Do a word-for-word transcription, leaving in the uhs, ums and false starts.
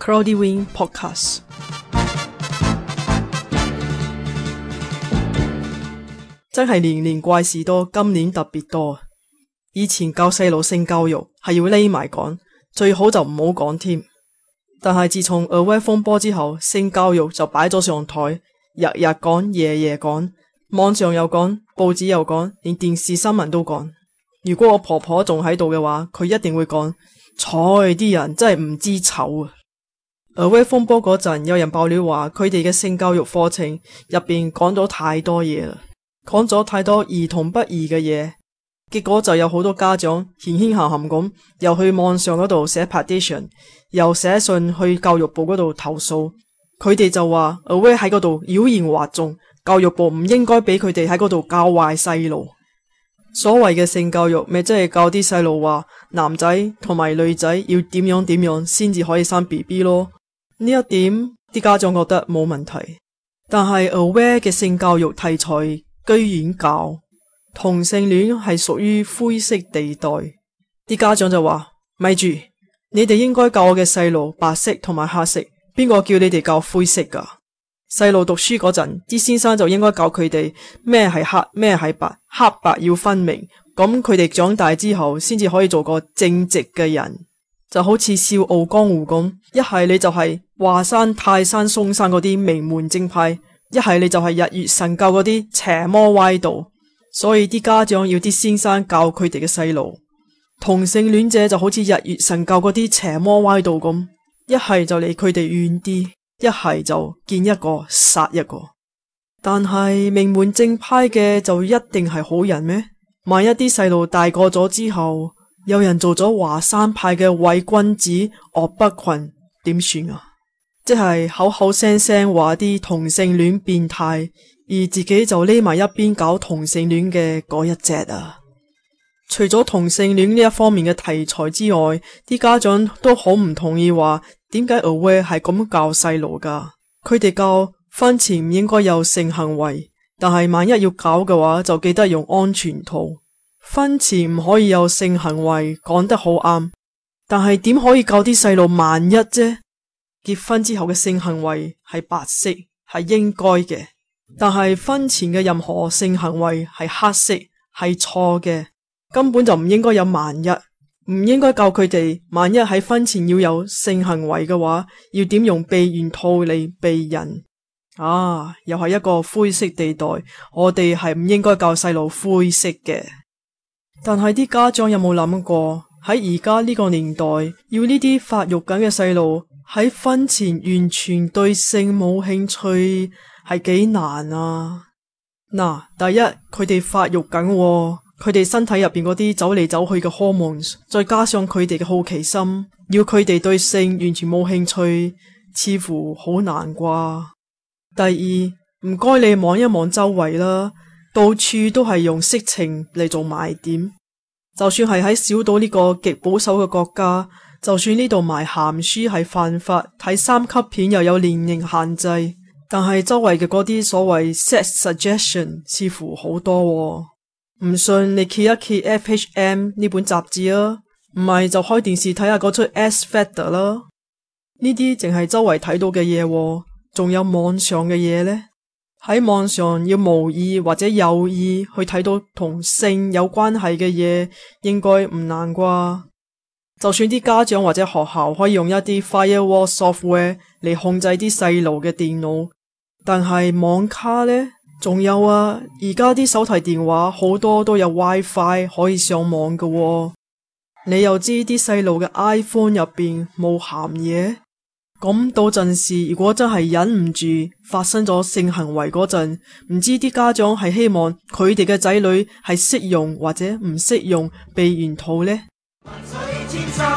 Cloudy Wing Podcast。 真係年年怪事多，今年特別多。以前教細路性教育係要匿埋講，最好就唔好講添。但係自從 Aware 風波之後，性教育就擺咗上台，日日講，夜夜講，網上又講，報紙又講，連電視新聞都講。如果我婆婆仲喺度嘅話，佢一定會講，睬啲人真係唔知醜啊。Aware 風波嗰陣，有人爆料話佢哋嘅性教育課程入邊講咗太多嘢啦，講咗太多兒童不宜嘅嘢，結果就有好多家長謙謙含含咁，又去網上嗰度寫 petition， 又寫信去教育部嗰度投訴。佢哋就話 Aware 喺嗰度妖言惑眾，教育部唔應該俾佢哋喺嗰度教壞細路。所謂嘅性教育咪即係教啲細路話男仔同埋女仔要點樣點樣先至可以生 B B 咯。呢一點啲家長覺得冇問題，但係 Aware 嘅性教育題材居然教同性戀係屬於灰色地帶。啲家長就話，咪住，你哋應該教我嘅細路白色同埋黑色，邊個叫你哋教灰色噶？細路讀書嗰陣，啲先生就應該教佢哋咩係黑，咩係白，黑白要分明，咁佢哋長大之後先至可以做個正直嘅人。就好似笑傲江湖咁，一係你就係華山、泰山、嵩山嗰啲名門正派，一係你就係日月神教嗰啲邪魔歪道。所以啲家長要啲先生教佢哋嘅細路，同性戀者就好似日月神教嗰啲邪魔歪道咁，一係就離佢哋遠啲，一係就見一個殺一個。但係名門正派嘅就一定係好人咩？萬一啲細路大個咗之後，有人做咗華山派嘅偽君子岳不群，點算啊？即係口口聲聲話啲同性戀變態，而自己就匿埋一邊搞同性戀嘅嗰一隻啊！除咗同性戀呢一方面嘅題材之外，啲家長都好唔同意話，點解 Aware 係咁教細路噶？佢哋教婚前唔應該有性行為，但係萬一要搞嘅話，就記得用安全套。婚前唔可以有性行為，講得好啱，但係點可以教啲細路萬一啫？結婚之後嘅性行為係白色，係應該嘅，但係婚前嘅任何性行為係黑色，係錯嘅，根本就唔應該有萬一，唔應該教佢哋萬一喺婚前要有性行為嘅話，要點用避孕套嚟避孕。啊，又係一個灰色地帶，我哋係唔應該教細路灰色嘅。但係啲家長有冇諗過，喺而家呢個年代，要呢啲發育緊嘅細路喺婚前完全對性冇興趣係幾難啊？嗱，第一，佢哋發育緊喎，佢哋身體入邊嗰啲走嚟走去嘅 hormones， 再加上佢哋嘅好奇心，要佢哋對性完全冇興趣，似乎好難啩。第二，唔該你望一望周圍啦，到處都係用色情嚟做賣點，就算係喺小島呢個極保守嘅國家，就算呢度賣鹹書係犯法，睇三級片又有年齡限制，但係周圍嘅嗰啲所謂 sex suggestion 似乎好多喎。唔信你揭一揭 F H M 呢本雜誌啊，唔係就開電視睇下嗰出 S Factor 啦。呢啲淨係周圍睇到嘅嘢喎，仲有網上嘅嘢呢？喺網上要無意或者有意去睇到同性有關係嘅嘢，應該唔難啩？就算啲家長或者學校可以用一啲 firewall software 嚟控制啲細路嘅電腦，但係網卡呢？仲有啊，而家啲手提電話好多都有 WiFi 可以上網㗎喎。你又知啲細路嘅 iPhone 入邊冇鹹嘢？咁到陣時，如果真係忍唔住發生咗性行為嗰陣，唔知啲家長係希望佢哋嘅仔女係識用或者唔識用避孕套呢？萬水千山